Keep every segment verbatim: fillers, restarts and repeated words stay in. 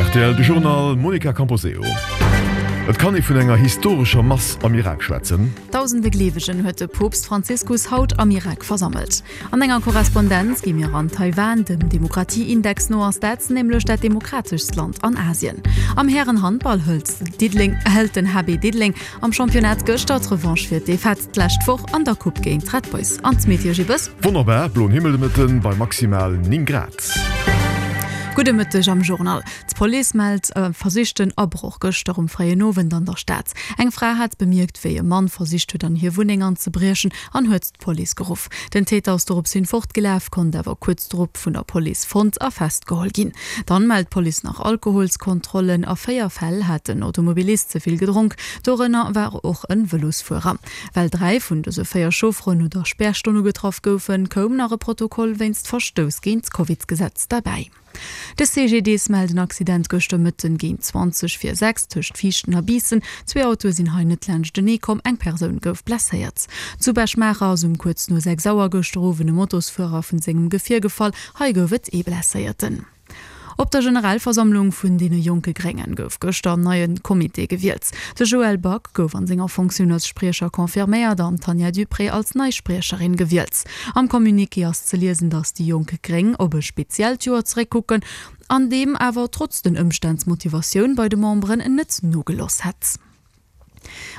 rtl, de Journal Monica Camposeo. Et kann ee vun enger historescher Mass am Irak schwätzen. Dausende Gleewegen huet de Poopst Franziskus haut am Irak versammelt. An enger Korrespondenz gi mir an Taiwan, dem Demokratieindex no ass dat nämlech dat demokrateschst Land an Asien. Am Hären-Handball hëlt Diddeleng hëlt den H B Diddeleng am Championnat gëschter d'Revanche fir d'Defaite d'lescht Woch an der Coupe géint d'Red Boys. An d'Meteo Gibbes? Wonnerbar, bloen Himmel de Mëtten bei maximal néng Grad. Gudde Mëtteg am Journal. D'Police mellt e versichten Abroch gëschter um fréien Owend an der Stad. Eng Fra hat bemierkt, wéi e Mann versicht huet an hir Wunneng anzebriechen an huet d'Police geruff. Den Täter ass dorops hin fortgelaf, konnt awer kuerz drop vun der Police fonnt a festgeholl ginn. Dann mellt d'Police nach Alkoholskontrollen. A véier Fäll hat den Automobilist ze vill gedronk, dorënner war och e Vëlosfuerer. Well dräi vun dëse véier Chaufferen no der Spärstonn ugetraff goufen, koum nach e Protokoll wéinst Verstouss géint d'Covidsgesetz derbäi. De C G D S mellt en Accident gëschter Mëtten géint zwanzeg vir sechs tëscht Viichten a Biissen. Zwee Autoe sinn hei net laanschtenee komm, eng Persoun gouf blesséiert. Zu Bech-Maacher ass um kuerz no sechs Auer gëschter Owend e Motosfuerer vun sengem Gefier gefall. Hei gouf et ee Blesséierten. Op der Generalversammlung vun deene jonke Gréngen gouf gëschter en neie Comité gewielt. De Joël Back gouf an senger Fonctioun als Spriecher confirméiert an d'Tanja Duprez als nei Spriecherin gewielt. Am Communiqué ass ze liesen, datt déi jonk Gréng op e speziellt Joer zeréckkucken, an deem awer trotz den Ëmstänn d'Motivatioun bei de Memberen net nogelooss hätt.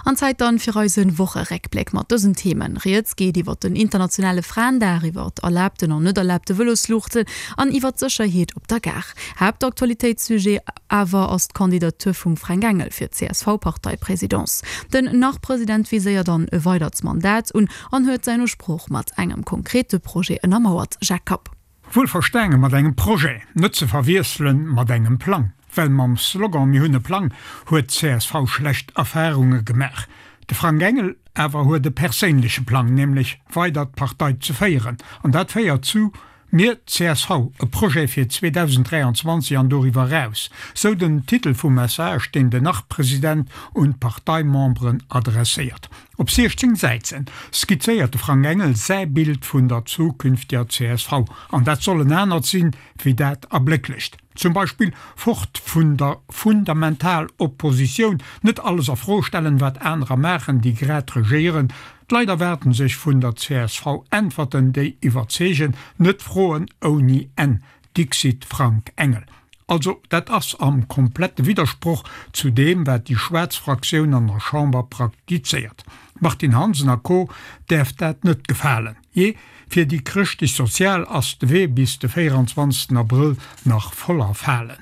An Zäit dann fir eisen Wocheréckbléck mat dësen Themen. Rieds geet iwwer den internationale Fraendag, iwwer erlaabten an net erlaabte Vëlosluuchten an iwwer d'Sécherheet op der Gare. Haaptaktualitéitssujet awer ass d'Kandidatur vum Fränk Engel fir d'C S V-Parteipresidence. Den Nach-President viséiert dann e weidert Mandat un an huet säin Usproch mat engem konkrete Projet ënnermauert. Jacques Kapp. Wuel verstaange mat engem Projet, net ze verwiesselen mat engem Plang. Well mam Slogan Mir hunn e Plang huet d'C S V schlecht Erfarunge gemaach. De Frank Engel awer huet e perséinleche Plang, nämlech weider d'Partei ze féieren. An dat féiert zu Mir C S V, e Projet fir zweedausenddräianzwanzeg an doriwwer raus. Sou den Titel vum Message, deen den Nach-President un d'Parteimemberen adresséiert. Op siechzéng Säiten skizzéiert de Frank Engel säi Bild vun der zukünftiger C S V. An dat soll en anert sinn, wéi dat erblécklecht. Zum Beispill fort vun der Fundamentaloppositioun, net alles a Fro stellen, wat anerer maachen, déi grad regéieren. D'Leit erwaarden sech vun der C S V Äntwerten, déi iwwerzeegen, net Froen ouni Enn, dixit Frank Engel. Also dat ass am komplette Widdersproch zu deem, wat déi schwaarz Fraktioun an der Chamber praktizéiert. Martin Hansen a Co. Däerf dat net gefalen. Je, fir déi chrëschtlech-sozial ass de Wee bis de véieranzwanzegsten Abrëll nach voller Falen.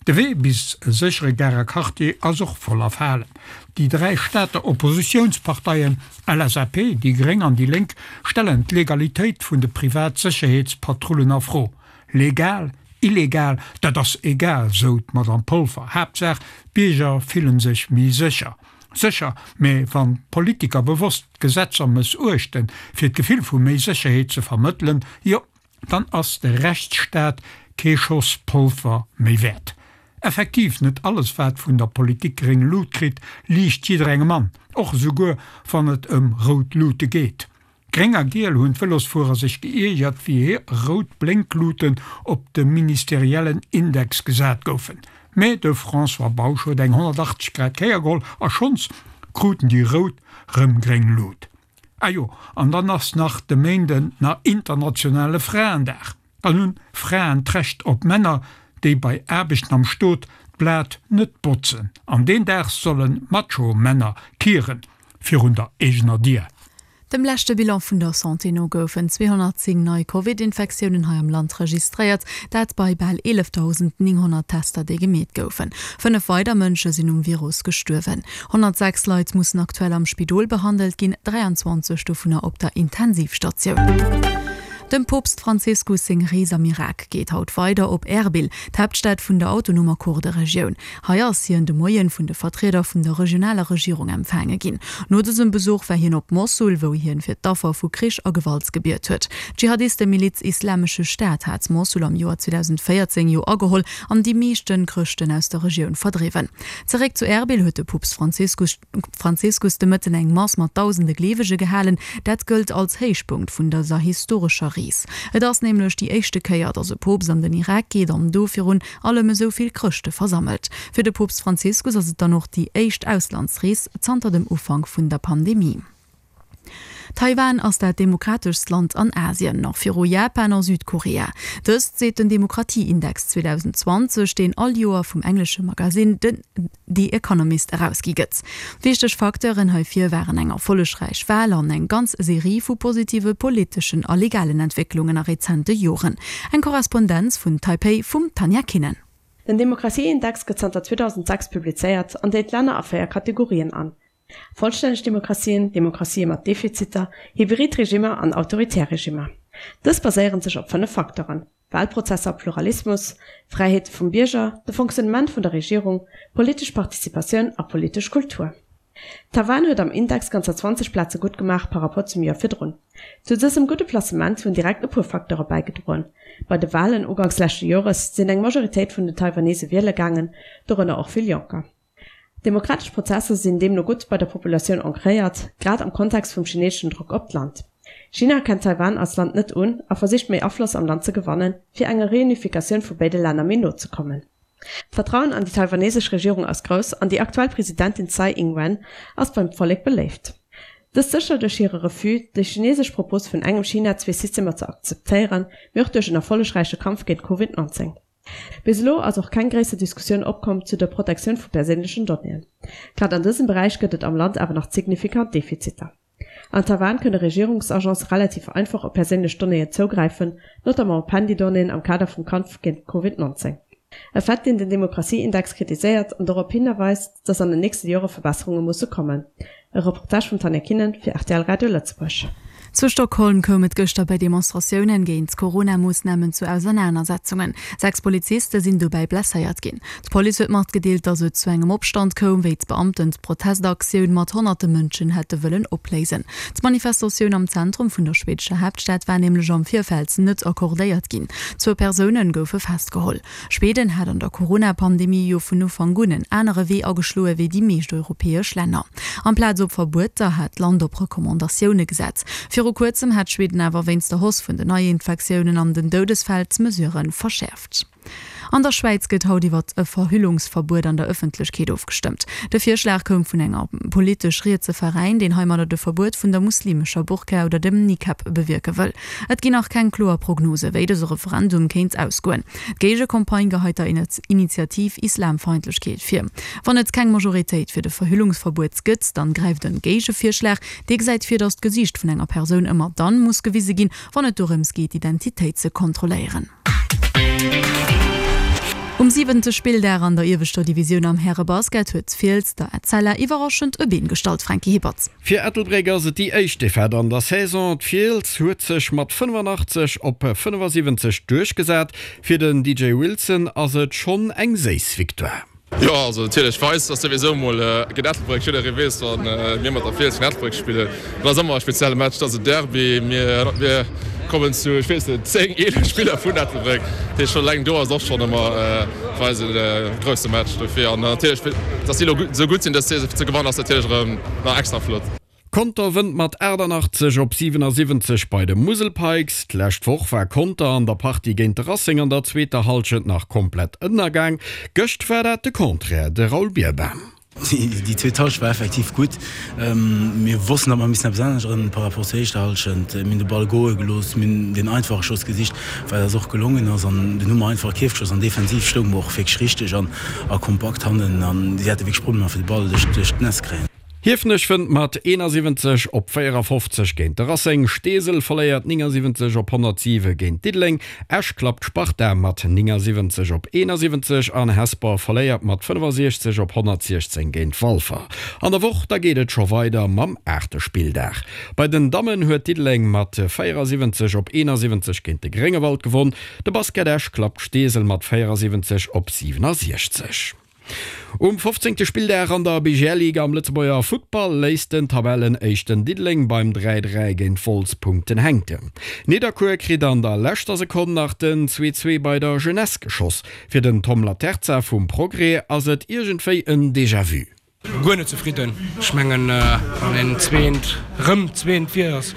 De Wee bis e séchere Garer Quartier ass och voller Falen. Déi dräi Stater Oppositiounsparteien L S A P, déi Gréng an déi Lénk stellen d'Legalitéit vun de Privatsécherheetspatrullen a Fro. Legal, illegal, dat ass egal, sou d'Madame Polfer. Haaptsaach, d'Bierger fillen sech méi sécher. Sécher, mä wann d'Politiker bewosst d'Gesetzer mëssuechten, fir d'Gefill vu méi Sécherheet ze vermëttelen, jo, dann ass de Rechtsstaat kee Schoss Polver méi wäert. Effektiv, net alles wat vun der Politik gréng Lut kritt, liicht jidderengem an, och esouguer wann et ëm rout Lute geet. Gréng a giel hunn d'Vëlosfuerer sech geiergert, wéi hir rout Blénkluten op de ministeriellen Index gesat goufen. Mä de François Bausch huet eng honnertachtzeg Grad Kéier geholl a schonns kruten déi rout rëm gréng Lut. Ah jo, an dann ass nach de Méinden nach internationale Fraendag. Dann hunn Fraen d'Recht op Männer, déi bei Aarbechten am Stot d'Blat net botzen. An deen Dag sollen Macho-Männer kieren virun der eegener Dier. Dem leschte Bilan vun der Santé no goufen zweehonnertzéng nei Covid-Infektiounen hei am Land registréiert, dat bei bal eelefdausendnénghonnert Tester, déi gemeet goufen. Fënnef weider Mënsche sinn um Virus gestuerwen. Honnertsechs Leit mussen aktuell am Spidol behandelt ginn, dräianzwanzeg dovunner op der Intensivstatioun. Dem Poopst Franziskus seng Rees am Irak geet haut weider op Erbil, d'Haaptstad vun der autonomer Kurderegioun. Hei ass hien de Moien vun de Vertrieder vun der regionaler Regierung empfaange ginn. No dësem Besuch war hien op Mossul, wou hien fir d'Affer vu Krich a Gewalt gebiet huet. D'Dschihadistemiliz Islamesche Staat hat Mossul am Joer zweedausendvéierzéng jo ageholl an déi meeschten Chrëschten aus der Regioun verdriwwen. Zeréck zu Erbil huet de Poopst Franziskus, Franziskus de Mëtten eng Mass mat dausende Gleewege gehalen. Dat gëllt als Héichpunkt vun dëser historescher Rees. Kris. Et ass nämlech déi éischte Kéier, datt e Poopst an den Irak geet an do virun allem esou vill Chrëschte versammelt. Fir de Poopst Franziskus ass et dann och déi éischt Auslandsrees zanter dem Ufank vun der Pandemie. Taiwan ass dat demokrateschst Land an Asien, nach viru Japan a Südkorea. Dëst seet den Demokratieindex zweedausendzwanzeg, deen all Joer vum englesche Magasinn The Economist erausgi gëtt. Wichteg Facteuren heifir waren eng erfollegräich Wal an eng ganz Serie vu positive politeschen a legalen Entwécklungen a rezente Joren. Eng Korrespondenz vun Taipei vum Tanja Kinnen. Den Demokratieindex gëtt zanter zweedausendsechs publizéiert an deelt d'Länner a véier Kategorien an, vollstänneg Demokratien, Demokratië mat Defiziter, hybrid Regimmer an autoritär Regimmer. Dës baséiere sech op fënnef Facteuren, Walprozesser, Pluralismus, Fräiheete vum Bierger, de Fonctionnement vun der Regierung, politesch Participatioun a politesch Kultur. Taiwan huet am Index ganzer zwanzeg Plaze gutt gemaach par rapport zum Joer virdrun. Zu dësem gudde Placement hunn direkt e puer Facteure bäigedroen. Bei de Walen uganks leschte Jores sinn eng Majoritéit vun den Taiwanese wiele gaangen, dorënner och vill Jonker. Demokratesch Prozesser sinn deemno gutt bei der Populatioun ancréiert, grad am Kontext vum chineeseschen Drock op d'Land. China erkennt Taiwan als Land net un a versicht méi Afloss am Land ze gewannen, fir enger Reunifikatioun vu béide Länner méi no ze kommen. D'Vertrauen an déi taiwanesesch Regierung ass grouss an déi aktuell Presidentin Tsai Ing-wen ass beim Vollek beléift. Dëst sécher duerch hire Refus, déi chinesesch Propos vun engem China, zwee Systemer ze akzeptéieren, mee och duerch en erfollegräiche Kampf géint Covid neunzéng. Bis elo ass och keng gréisser Diskussioun opkomm zu der Protektioun vu perséinlechen Donnéeën. Grad an dësem Beräich gëtt et am Land awer nach signifikant Defiziter. An Taiwan kënne Regierungsagence relativ einfach op perséinlech Donnéeën zougräifen, notamment op Handydonnéeën am Kader vum Kampf géint Covid neunzéng. E Fait, deen den Demokratieindex kritiséiert an dorop hinweist, datt an den nächste Jore Verbesserunge musse kommen. E Reportage vum Tanja Kinnen fir R T L Radio Lëtzebuerg. Zu Stockholm koum et gëschter bei Demonstratiounen géint d'Corona-Moossnamen zu Ausernanersetzungen. Sechs Poliziste sinn dobäi blesséiert ginn. D'Police huet matgedeelt, datt et zu engem Opstand koum, wéi d'Beamten d'Protestaktioun mat honnerte Mënschen hätte wëllen opléisen. D'Manifestatioun am Zentrum vun der schwedescher Haaptstad war nämlech am Virfeld net accordéiert ginn. Zwou Persoune goufe festgeholl. Schweden hat an der Corona-Pandemie jo vun Ufank un en anere Wee ageschloe wéi déi meescht europäesch Länner. Amplaz op Verbueter hat d'Land op Recommandatioune gesat. Viru kuerzem hat Schweden awer wéinst der Hausse vun den Neiinfektiounen an den Doudesfäll d'Mesurë verschäerft. An der Schwäiz gëtt haut iwwert e Verhüllungsverbuet an der Ëffentlechkeet ofgestëmmt. De Virschlag koum vun enger politesch rietse Veräin, deen heimadder de Verbuet vun der muslimescher Burka oder dem Nikab bewierke wëll. Et ginn nach keng kloer Prognose wéi dëse Referendum kéint ausgoen. D'Géigecampagne geheit der Initiativ Islamfeindlechkeet vir. Wann et keng Majoritéit fir de Verhüllungsverbuet gëtt, dann gräift en Géigevirschlag, dee gesäit vir, datt d'Gesiicht vun enger Persoun ëmmer dann muss gewise ginn, wann et dorëms geet d'Identitéit ze kontrolléieren. Um siwente Spilldag an der ieweschter Divisioun am Härebasket huet d'Fiels der Etzella iwwerraschend e Been gestallt, Franky Hippert. Fir Ettelbréck ass et déi éischt Defaite an der Saison. D'Fiels huet sech mat fënnefanaachtzeg op fënnefasiwwenzeg duerchgesat. Fir den D J Wilson ass et schonn eng séiss Victoire. Jo, also natierlech fir eis ass souwisou mol géint Ettelbréck, jidderee weess, wa mir mat der Fiels vun Ettelbréck spillen, dat ass ëmmer e spezielle Match, dat ass e Derby. Mir mir kommen zu, ech weess net, zéng, eelef Spiller vun Ettelbréck, dat heescht schonn eleng do ass och schonn ëmmer fir eis e grousse Match dofir. An natierlech, datt si elo esou gutt sinn dës Saison, fir ze gewannen ass natierlech erëm nach extra flott. Conter wënnt mat aachtanaachtzeg op siwenasiwwenzeg bei de Musel Pikes. D'lescht Woch war Conter an der Partie géint de Racing an der zweeter Hallschent nach komplett ënnergaang. Gëscht war dat de Contraire, de Raoul Bierbaum. Déi zweet Hallschent war effektiv gutt. Mir wossten, datt mer missen eppes änneren par rapport zur éischter Hallschent. Mir hunn de Ball goe gelooss, mir hunn deen einfache Schoss gesicht, wat eis och gelongen ass an dunn hu mer einfach Kierf geschoss an defensiv stounge mer och wierklech richteg an a kompakt hannen an si hate wierklech Problemer fir de Ball duerch duerch d'Netz ze kréien. Hiefenech wënnt mat eenasiwwenzeg op véierafofzeg géint de Racing, Steesel verléiert néngasiwwenzeg op honnertsiwe géint Diddeleng, Esch klappt d'Sparta mat néngasiwwenzeg op eenasiwwenzeg an Hesper verléiert mat fënnefasiechzeg op honnertsiechzéng géint Walfer. An der Woch da geet et scho weider mam aachte Spilldag. Bei den Dammen huet Diddeleng mat véierasiwwenzeg op eenasiwwenzeg géint de Gréngewald gewonn, de Basket Esch klappt Steesel mat véierasiwwenzeg op siwenasiechzeg. Um fofzéngte Spilldag an der B G L-Liga am Lëtzebuerger Futtball léisst den Tabellenéischten Diddeleng beim dräi dräi géint Wolz Punkten hänken. Nidderkuer kritt an der leschter Sekonn nach den zwee zwee bei der Jeunesse geschoss. Fir den Tom Laterza vum Progrès ass et iergendwéi en Déjà-vu. Guer net zefridden. Ech mengen, wann een zweent, rëm zweent wier, ass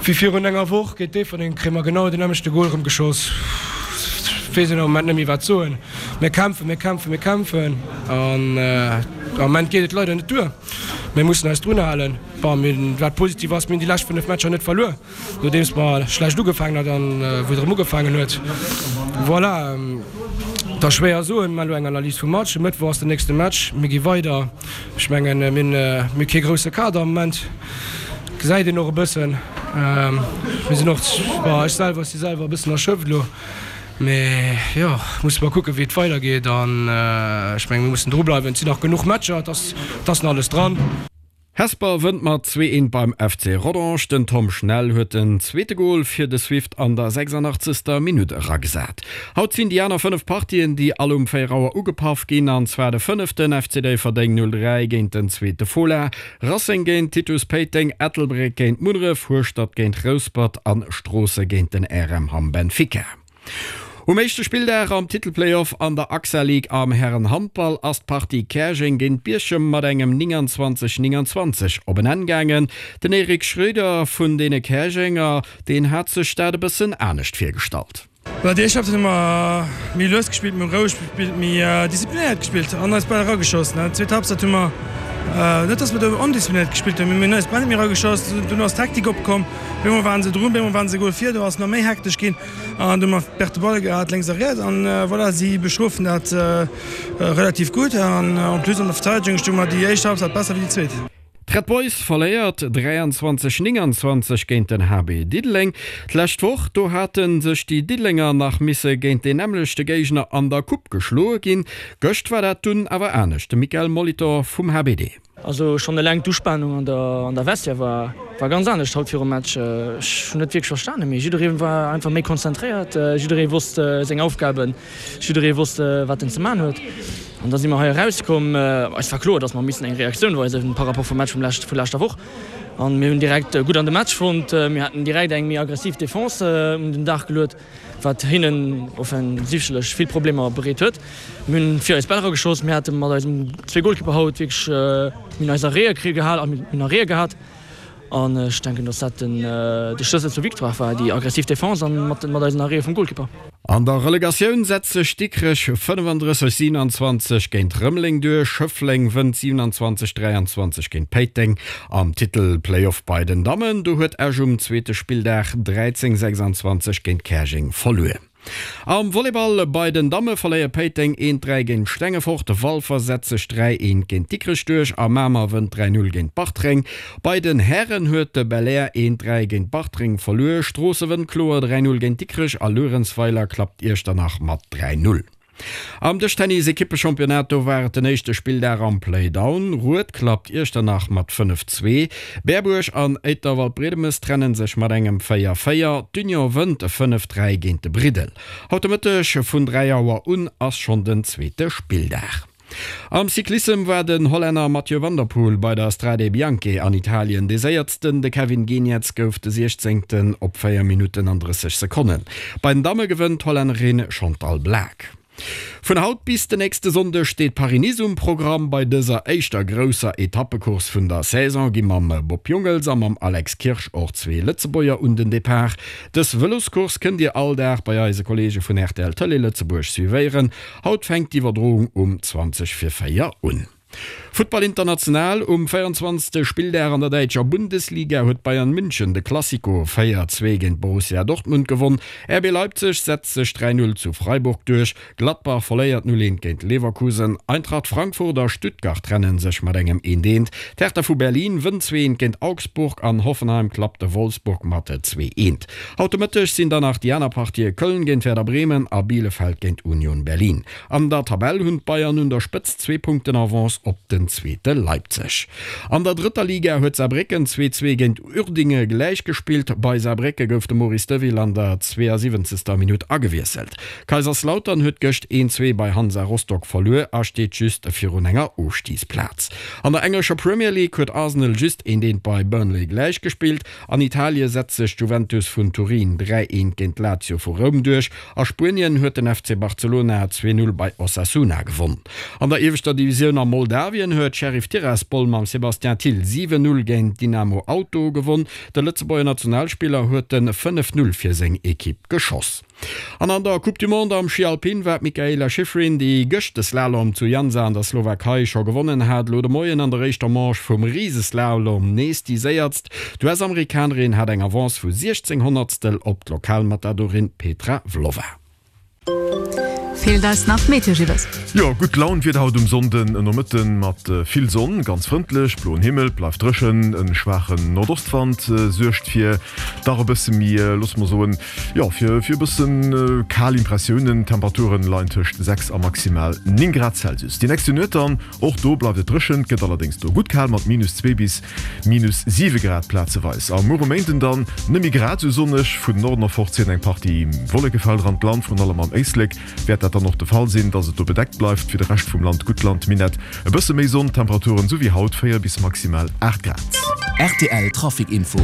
Wéi virun enger Woch géint Déifferdeng kréie mer genau den nämmlechte Gol erëm geschoss. Weess een am Moment net méi wat soen. Mir kämpfen, mir kämpfen, mir kämpfen an am Moment geet et leider net duer. Mir mussen eis drun halen. Bon, mir hunn, wat positiv ass, mir hunn déi lescht fënnef Matcher net verluer, nodeems mer schlecht ugefaangen hat an wou et erëm ugefaangen huet. Voilà, et ass schwéier soen, mer elo eng Analys vum Match. E Mëttwoch ass den nächste Match, mir gi weider. Ech mengen, mir hunn, mir hu kee grousse Kader am Moment, gesäit een och e bëssen. Mir sinn och, bon, ech selwer si selwer e bëssen erschöpft elo. Mee jo, musse mer kucken, wéi et weidergeet. An ech mengen, mir mussen drubleiwen. Et sinn nach genuch Matcher, et ass, et ass nach alles dran. Hesper wënnt mat zwee eent beim F C Rodange. Den Tom Schnell huet den zweete Gol fir de Swift an der sechsundachtzegster Minutt eragesat. Haut sinn déi aner fënnef Partien, déi all um véier Auer ugepaff ginn, an zwar de fënneften F C Déifferdeng null dräi géint den zweete Fola, Racing géint Titus Péiteng, Ettelbréck géint Munneref, Hueschtert géint Rouspert an Stroosse géint den R M Hamm Benfica. Um éischte Spilldag am Titelplayoff an der AXA League am Hären-Handball ass d'Partie Käerjeng géint Bierchem mat engem nénganzwanzeg nénganzwanzeg op en Enn gaangen. Den Eric Schröder vun deene Käerjenger, deen hat sech dat e bëssen anescht virgestallt. Bah, déi éischt Halbzeit hu mer méi lues gespillt, méi roueg gespillt, méi disziplinéiert gespillt an eis Bäll erageschoss. Zweet Halbzeit hu mer net, dass mer do ondisziplinéiert gespillt hunn, mee mir hunn eis Bäll net méi erageschoss. Dunn ass d'Hektik opkomm, op eemol waren se drun, op eemol waren se e Gol vir, do ass nach méi hektesch ginn an du hu mer perte Balle gehat lénks a riets an voilà, si bestrofen dat relativ gutt an en plus an der Verteidegung stounge mer déi éischt Halbzeit besser wéi déi zweet. D'Red Boys verléiert dräianzwanzeg nénganzwanzeg géint den H B Diddeleng. D'lescht Woch, do hate sech déi Diddelenger nach misse géint deen nämmlechte Géigner an der Coupe geschloe ginn. Gëscht war dat dunn awer anescht. De Michael Molitor vum H B D. Also schonn eleng d'Uspanung an der an der Vestiaire war war ganz anescht haut virum Match. Ech hunn net wierklech verstanen, mee jidderee war einfach méi konzentréiert, jidderee wosst seng Aufgaben, jidderee wosst wat en ze man huet. An da si mer hei erauskomm. Eis war kloer, datt mer missen eng Reaktioun weisen par rapport vum Match vum lescht vu leschter Woch. An mir hunn direkt gutt an de Match fonnt. Mir haten direkt eng méi aggressiv Defense un den Dag geluet, wat hinnen offensichtlech vill Problemer bereet huet. Mir hunn fir eis Bäll erageschoss. Mir hate mat eisem zwee Golkipper haut wierklech, mir hunn eis Arrêtë kri gehal a mir hunn Arrêtë gehat. An ech denken, datt dat den de Schlëssel zur Victoire war, déi aggressiv Defense an mat mat eisen Arrêtë vum Golkipper. An der Relegatioun setzt sech Dikrech fënnefandrësseg siewenanzwanzeg géint Rëmeleng duerch, Schëffleng wënnt siewenanzwanzeg dräianzwanzeg géint Péiteng. Am Titel-Playoff bei den Dammen, do huet Esch um zweete Spilldag dräizéng sechsanzwanzeg géint Käerjeng verluer. Am Volleyball bei den Damme verléiert Péiteng eent dräi géint Stengefort, Walfer setzt sech dräi eent géint Dikrech duerch a Mamer wënnt dräi null géint Bartreng. Bei den Hären huet de Belair eent dräi géint Bartreng verluer, Stroosse wënnt kloer dräi null géint Dikrech a Luerenzweiler klappt Iechternach mat dräi null. Am Dëschtennis-Ekippechampionnat, do war et den éischte Spilldag am Playdown. Rued klappt Iechternach mat fënnef zwee. Berbuerg an Éiter-Waldbriedemes trenne sech mat engem véier véier. D'Union wënnt fënnef dräi géint de Briddel. Haut de Mëtteg vun dräi Auer un ass schonn den zweete Spilldag. Am Cyclissem war den Hollänner Mathieu van der Poel bei der Strade Bianche an Italien dee Séiersten. De Kevin Geniets gouf de Siechzéngten op véier Minutten an drësseg Sekonnen. Bei den Damme gewënnt d'Hollännerin Chantal Blaak. Vun haut bis den nächste Sonndeg steet Paris-Nice um Programm. Bei dëser éischter grousser Etappecourse vun der Saison gi mam Bob Jungels a mam Alex Kirsch och zwee Lëtzebuerger un den Depart. Dës Vëloscourse kënnt Dir all Dag bei eise Kolleege vun R T L Tëlee Lëtzebuerg suivéieren. Haut fänkt d'Iwwerdroung um zwanzeg vir véier un. Futtball international, Um véierundzwanzegste Spilldag an der däitscher Bundesliga huet Bayern München de Classico véier zwee géint Borussia Dortmund gewonn. R B Leipzig setzt sech dräi null zu Freiburg duerch, Gladbach verléiert null eent géint Leverkusen, Eintracht Frankfurt a Stuttgart trenne sech mat engem eent eent, d'Hertha vu Berlin wënnt zwee eent géint Augsburg an Hoffenheim klappt de Wolfsburg mat zwee eent. Haut de Mëtteg sinn dann nach déi aner Partië Köln géint Werder Bremen a Bielefeld géint Union Berlin. An der Tabell hunn d'Bayern un der Spëtzt zwee Punkten Avance op den zweete Leipzig. An der drëtter Liga huet Saarbrécken zwee zwee géint Uerdinge gläichgespillt. Bei Saarbrécke gouf de Maurice Deville an der zweeësiwwenzegster Minutt agewiesselt. Kaiserslautern huet gëscht een zwee bei Hansa Rostock verluer a steet just virun enger Ofstigsplaz. An der englescher Premier League huet Arsenal just eent eent bei Burnley gläichgespillt. An Italie setzt sech d'Juventus vun Turin dräi eent géint Lazio vu Roum duerch. A Spuenien huet den F C Barcelona zwee null bei Osasuna gewonn. An der ieweschter Divisioun a Moldawien Moldawien huet Sheriff Tiraspol mam Sébastien Thill siwen, Null géint Dinamo Auto gewonn. De Lëtzebuerger Nationalspiller huet de fënnef Null fir seng Ekipp geschoss. An an der Coupe du Monde am Schi Alpin war d'Mikaela Shiffrin, déi gëscht de Slalom zu Llançà an der Slowakei scho gewonnen hat, elo de Moien an der éischter Manche vum Riseslalom nees déi Séierst. D'US-Amerikanerin hat eng Avance vu siechzéng Honnertstel op d'Lokalmatadorin Petra Vlhova. Feelt eis nach d'Meteo, Gilles? Jo, gutt Laun Wieder haut um Sonnden Nomëtten mat vill Sonn, ganz frëndlech, bloen Himmel, bleift dréchen. En schwaachen Nordostwand suergt fir dach e bësse méi, loosse mer soen, jo fir fir e bëssen kal Impressiounen. D'Temperaturen leien tëscht sechs a maximal néng Grad Celsius. Déi nächste Nuet dann, och do bleift et dréchen, gëtt allerdéngs do gutt kal mat minus zwee bis minus siwe Grad plazeweis. A muer um Méinden dann net méi grad esou sonneg, vun Norden erfort zéien eng Partie Wollekefelder an d'Land, vrun allem am Éislek wäert dat dann och de Fall sinn, dass et do bedeckt bleift. Fir de Rescht vum Land gutt Landminett, e bësse méi Sonn, Temperaturen esou wéi haut véier bis maximal aacht Grad. Rtl Trafic Info.